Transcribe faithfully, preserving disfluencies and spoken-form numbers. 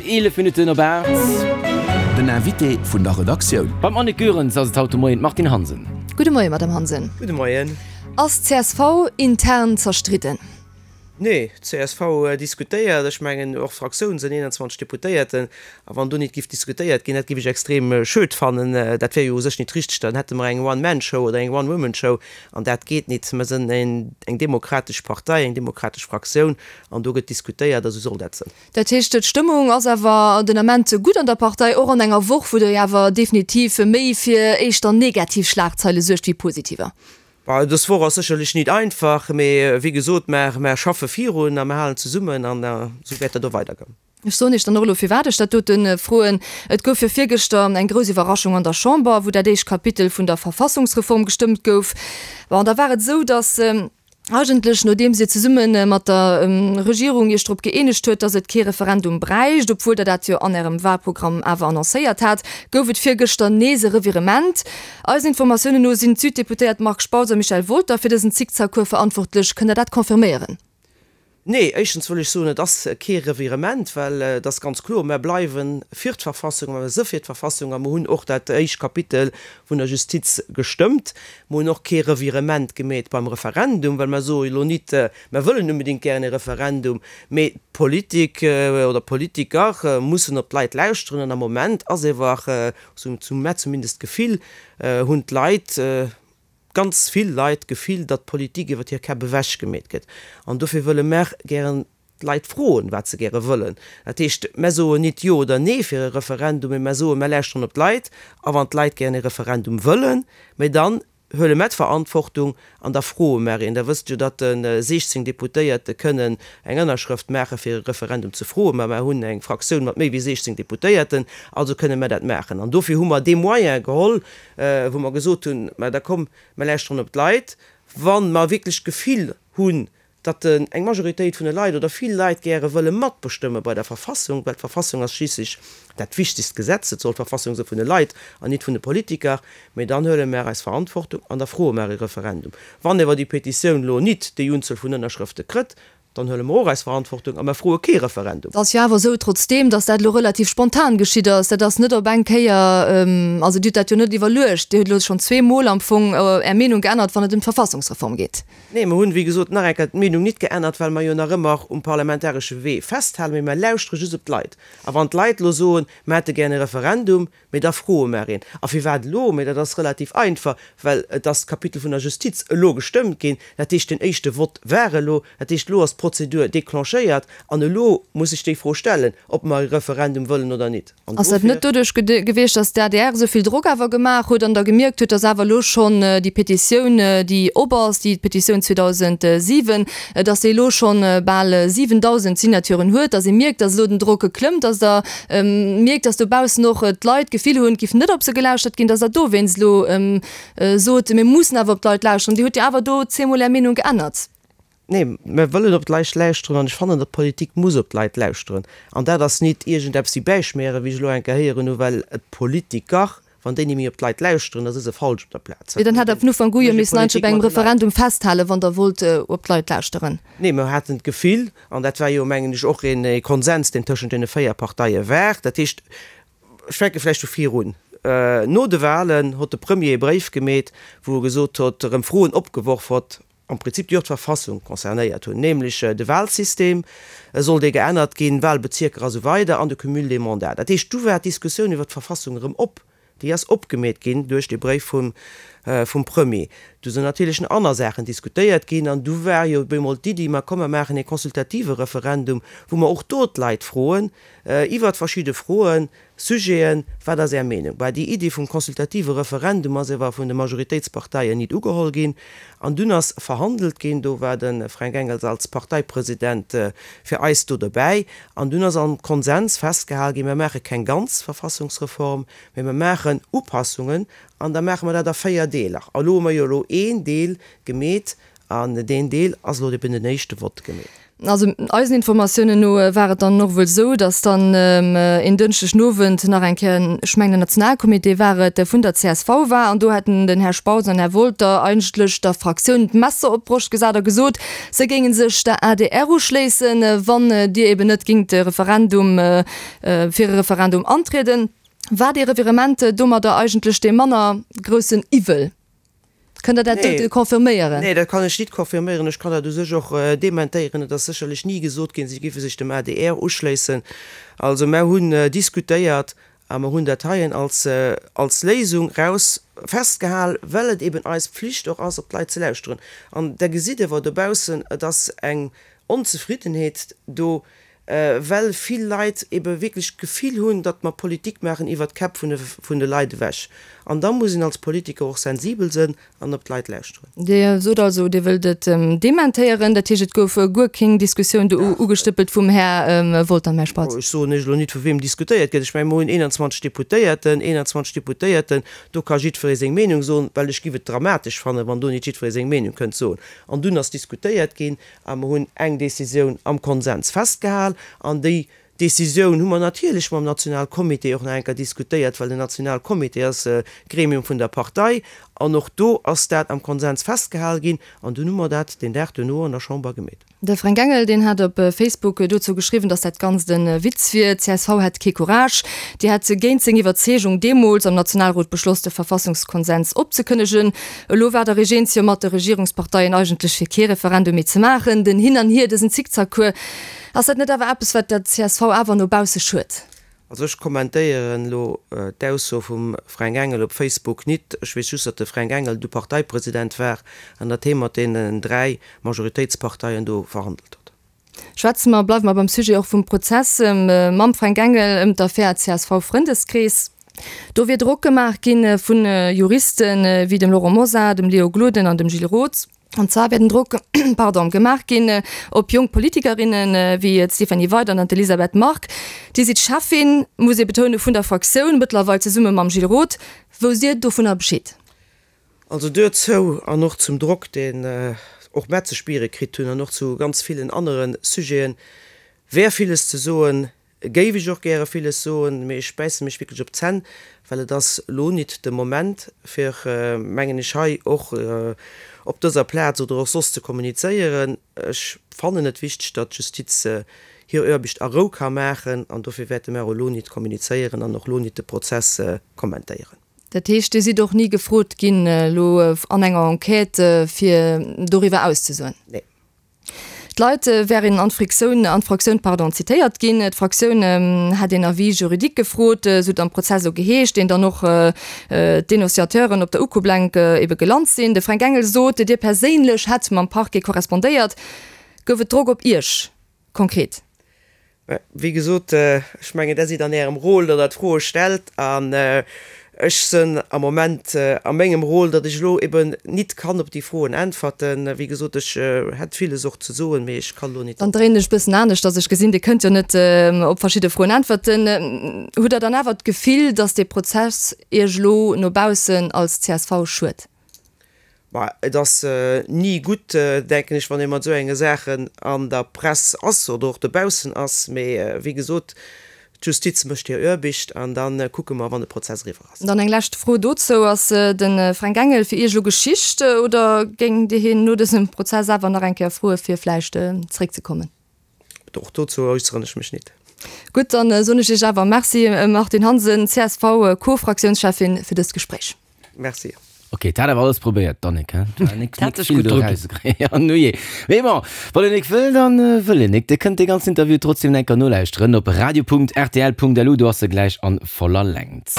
Eelef Minutten op aacht. Den Invité vun der Redaktioun. Beim Annick Goerens ass et haut de Moien d'Martine Hansen. Gudde Moien, Madame Hansen. Gudde Moien. Ass d'CSV intern zerstridden? Nee, d'CSV diskutéiert. Ech mengen, och d'Fraktioun sinn eenanzwanzeg Deputéierten. A wann do nit giff diskutéiert ginn, dat giff ech extrem schued fannen. Dat wär jo u sech nit richteg. Dann hätte mer eng One-Man-Show oder eng One-Woman-Show an dat geet nit. Mer sinn eng demokratesch Partei, eng demokratesch Fraktioun an do gëtt diskutéiert a sou soll dat sinn. Dat heescht, d'Stëmmung ass awer den Ament gutt an der Partei, och an enger Woch, wou Der jo awer definitiv méi fir éischter negativ Schlagzeile suergt wéi positiver. Dës Woch ass sécherlech nit einfach, mee wéi gesot, mer mer schaffe virun a mer halen zesummen an esou wäert dat och weidergoen. Ech soen Iech dann och elo, firwat ech dat dote froen. Et gouf jo virgëschter eng grouss Iwwerraschung an der Chamber, wou dat éischt Kapitel vun der Verfassungsreform gestëmmt gouf. Bon, da war et esou, datt Eigentlech, nodeems Dir zesumme mat der Regierung Iech drop gëeenegt huet, datt et kee Referendum bräicht, obwuel Der dat jo an Ärem Wahlprogramm awer annoncéiert hat, gouf et virgëschter nees e Revirement. Eisen Informatiounen no sinn d'Süddeputéiert Marc Spautz a Michel Wolter fir dësen Zickzackcours verantwortlech. Kënnt Der dat confirméieren? Nee, éischtens wëll ech soen, et ass kee Revirement, well et ass ganz kloer, mer bleiwe fir d'Verfassung, mer si fir d'Verfassung a mer hunn och dat éischt Kapitel vun der Justiz gestëmmt. Mer hunn och kee Revirement gemeet beim Referendum, well mer soe elo nit, mer wëllen unbedéngt gären e Referendum, mee d'Politik oder d'Politiker mussen op d'Leit lauschteren an am Moment ass ewer, sou hu mer zumindest d'Gefill, hunn d'Leit, ganz vill Leit d'Gefill, datt d'Politik iwwer hir Käpp ewech gemeet gëtt. An dofir wëlle mer gären d'Leit froen, wat se gäre wëllen. Dat heescht, mer soen nit Jo oder Nee fir e Referendum, mee mer soen, mer lauschteren op d'Leit. A wann d'Leit gären e Referendum wëllen, mee dann huele mer d'Verantwortung an da froe mer een. Der wësst jo, datt siechzéng Deputéierte kënnen eng Ënnerschrëft maache fir e Referendum ze froen. Mä mer hunn eng Fraktioun mat méi wéi siechzéng Deputéierten, also kënne mer dat maachen. An dofir hu mer dee Moyen geholl, wou mer gesot hunn, Mä da komm, mer lauschteren op d'Leit. Wa mer wierklech d'Gefill hunn, datt eng Majoritéit vun de Leit oder vill Leit gäre wëlle matbestëmme bei der Verfassung, well d'Verfassung ass schliisslech dat wichtegst Gesetz, et soll d'Verfassung si vun de Leit an nit vun de Politiker, mä dann huele mer eis Verantwortung an da froe mer e Referendum. Wann ewer déi Petitioun elo nit déi Unzuel vun Ënnerschrëfte krëtt, Dann huele mer och eis Verantwortung a mer froe kee Referendum. Et ass jo awer esou, trotzdeem, datt dat elo relativ spontan geschitt ass. Dat ass net op eng Kéier, also Dir hutt dat jo net iwwerluecht. Dir hutt elo schonn zwee Mol am Fong Är Meenung geännert, wann et ëm d'Verfassungsreform geet. Nee, mer hunn, wéi gesot, nach eng Kéier d'Meenung nit geännert, well mer jo nach ëmmer um parlamentaresche Wee festhalen. Mee mer lauschtere just op d'Leit. A wann d'Leit elo soen, mer hätte gär e Referendum, Mee da froe mer een, A firwat elo? Mee dat ass relativ einfach, well et ass d'Kapitel vun der Justiz elo gestëmmt ginn. Dat heescht, den éischte Vott war elo. Dat heescht, elo ass d'Prozedur declenchéiert an elo muss ech déi Fro stellen, ob mer e Referendum wëllen oder nit. An Ass dat dofir. net doduerch gewiescht, datt d'ADR esou vill Drock awer gemaach huet an Der gemierkt hutt, datt awer elo schonn déi Petitioun, déi op ass, déi Petitioun zweedausendsiwen, datt déi elo schonn bal siwendausend Signaturen huet, datt ee mierkt, datt elo den Drock klëmmt, datt Der mierkt, datt dobaussen och d'Leit d'Gefill hunn, et giff net op se gelauschtert ginn, datt Der dowéinst elo sot, mir mussen awer op d'Leit lauschteren. Dir hutt jo awer do zweemol Är Meenung geännert. Nee, mir wëllen op d'Leit lauschteren an ech fannen, datt d'Politik muss op d'Leit lauschteren. An dat ass nit iergendeppes wéi bäischmieren, wéi ech elo eng Kéier héieren hu, well d'Politiker, wann déi ni méi op d'Leit lauschteren, da si se falsch op der Plaz. Mee dann hätt Der vun Ufank u jo Mécht missen eigentlech Politik op engem mat de Leit. Referendum festhalen, wann Der wollt op d'Leit lauschteren. Nee, mir haten d'Gefill, an dat war jo, mengen ech, och e Konsens, deen tëschent deene véier Parteie war, dat heescht, ech fänke vläicht vu vir un, No de Wahlen hott de Premier e Bréif gemeet, wou e gesot hott, erëm Froen opgeworf hott, am Prinzip déi och d'Verfassung concernéiert hunn, nämlech de Wahlsystem, soll dee geännert ginn, Wahlbezierker a sou weider an de Cumul des mandats. Dat heescht, du war d'Diskussioun iwwert d'Verfassung erëm op. Déi ass opgemeet ginn duerch dee Bréif vum vum Premier. Du sinn natierlech nach aner Saachen diskutéiert ginn an du war jo op eemol d'Iddi, ma komm mer maachen ee consultative Referendum, wou mer och do d'Leit froen iwwert verschidde Froen, Sujeten, wat ass Är Meenung? Bah, déi Iddi vum consultative Referendum ass ewer vun de Majoritéitsparteien nit ugeholl ginn an dunn ass verhandelt ginn, do war de Fränk Engels als Parteipresident fir eis do dobäi an dunn ass am Konsens festgehal ginn, mer maache keng ganz Verfassungsreform, mee mer maachen Upassungen an da maache mer dat a véier Deeler. A lo hu mer jo elo een Deel gemeet an deen Deel ass elo eben den éischte Vott gemeet. Also eisen Informatiounen no war et dann och wuel esou, datt dann en Dënschdeg den Owend nach eng Kéier, ech mengen den Nationalcomité war et, vun der csv war an do hätten den Här Spautz an Här Wolter eigentlech der Fraktioun d'Messer op d'Broscht gesat a gesot, se géinge sech der adr uschléissen, wann Dir eben net géingt de Referendum, fir e Referendum antrieden. War dee Revirement domadder eigentlech dee manner groussen Iwwel? Kënnt Der dat dote confirméieren? Nee, dat kann ech nit confirméieren. Ech kann dat u sech och dementéieren. Et ass sécherlech ni gesot ginn, si géife sech dem adr uschléissen. Also mer hunn diskutéiert a mer hunn dat heien als, als Léisung raus festgehal, well et eben eis Pflicht och ass, op d'Leit ze lauschteren. An Der gesitt awer dobaussen, et ass eng Onzefriddenheet do, well vill Leit ebe wierklech d'Gefill hunn, datt mer Politik maachen iwwert d'Käpp vun de Leit ewech. An da muss een als Politiker och sensibel sënn an op d'Leit lauschteren. Dir sot also, Dir wëllt et dementéieren. Dat heescht, et gouf guer keng Diskussioun do ugestëppelt vum Här Wolter an Här Spautz? Ech soen Iech elo nit, vu weem diskutéiert gëtt. Ech mengen, mer hunn eenanzwanzeg Deputéierten, eenanzwanzeg Deputéierten, do ka jiddweree seng Meenung soen, well ech giff et dramatesch fannen, wann do nit jiddweree seng Meenung kënnt soen. An dunn ass diskutéiert ginn a mer hunn eng Décisioun am Konsens festgehal. An déi Décisioun hu mer natierlech mam Nationalcomité och nach eng Kéier diskutéiert, well den Nationalcomité ass e Gremium vun der Partei. An och do ass dat am Konsens festgehal ginn. An dunn hu mer dat deen Dag duerno an der Chamber gemeet. De Fränk Engel, deen hat op Facebook dozou geschriwwen, datt dat Ganzt e Witz wier, D'CSV hätt kee Courage, déi hätt géint seng Iwwerzeegung deemools am Nationalrot beschloss, de Verfassungskonsens opzekënnegen. Elo war der Regénz jo mat de Regierungsparteien eigentlech fir kee Referendum méi ze maachen. Den Hin an Hier, dësen Zickzackcours, ass dat net awer eppes, wat der csv awer no bausse schued? Also ech kommentéieren elo d'Ausso vum Fränk Engel op Facebook nit. Ech weess just, datt de Fränk Engel du Parteipresident war an datt hee mat deenen dräi Majoritéitsparteien do verhandelt huet. Schwätze mer, bleiwe mer beim Sujet och vum Prozess mam Fränk Engel ëm d'Affär CSV-Frëndeskrees. Do wier Drock gemaach gi vu Juriste wéi dem Laurent Mosar, dem Léo Gloden an dem Gilles Roth. An zwar wär den Drock, pardon, gemaach ginn op jonk Politikerinnen wéi d'Stéphanie Weydert an d'Elisabeth Margue. Dir sidd Cheffin, muss ee betounen, vun der Fraktioun, mëttlerweil zesumme mam Gilles Roth. Wousst Dir dovunner Bescheed? Also duerzou an och zum Drock, deen och mär ze spiere kritt hunn an och zu ganz villen anere Sujeten, wär villes ze soen. Géif ech och gäre villes soen, mee ech bäisse mech wierklech op d'Zänn, well et ass elo nit de Moment, fir, mengen ech, hei och op dëser Plaz oder och soss ze kommunizéieren. Ech fannen et wichteg, datt d'Justiz hir Aarbecht a Rou ka maachen, an dofir wäerte mer elo nit kommunizéieren an och elo nit de Prozess kommentéieren. Dat heescht, Dir sidd och ni gefrot ginn elo an enger Enquête, fir doriwwer auszesoen? Nee. D'Leit wären an d'Frictioun, an d'Fraktioun, pardon, zitéiert ginn. D'Fraktioun hätt een Avis juridique gefrot, esou et am Prozess elo geheescht, deen dann och d'Denonciateuren op der Ukoblenk ebe gelant sinn. De Fränk Engel sot, Dir perséinlech hätt mam Parquet korrespondéiert. Gouf et Drock op Iech konkret? Mä wéi gesot, ech mengen, Der sidd an Ärem Rôle, datt Der d'Froe stellt, an ech sënn am Moment a mengem Rôle, datt ech elo eben nit kann op déi Froen äntwerten. Wéi gesot, ech hätt villes och ze soen, mee ech kann elo nit. Dann dréinen ech e bëssen anescht, datt ech gesinn, Dir kënnt jo net op verschidde Froen äntwerten. Hutt Der dann awer d'Gefill, datt dee Prozess Iech elo no baussen als csv schued? Bah, et ass ni gutt, denken ech, wann ee mat esou enge Saachen an der Press ass oder och dobaussen ass. Mee wéi gesot, d'Justiz mécht hir Aarbecht an da kucke mer, wann de Prozess eriwwer ass. Dann eng lescht Fro dozou, Ass de Fränk Engel fir Iech elo Geschicht oder géingt Dir hien no dësem Prozess awer nach eng Kéier froe fir vläicht zeréckzekommen? Och dozou äusseren ech mech nit. Gutt, dann soen ech Iech awer Merci, Martine Hansen, CSV-Co-Fraktiounscheffin, fir dëst Gespréich. Merci. Ok, d'hat awer alles probéiert, d'Annick, he? Nik, D'hat sech gutt druginn. Ja, nujee. Mee bon, wann een nik wëll, dann wëll een nik. Dir kënnt dee ganzen Interview trotzdem enker nolauschteren op radio.rtl.lu, do ass e gläich an voller Längt.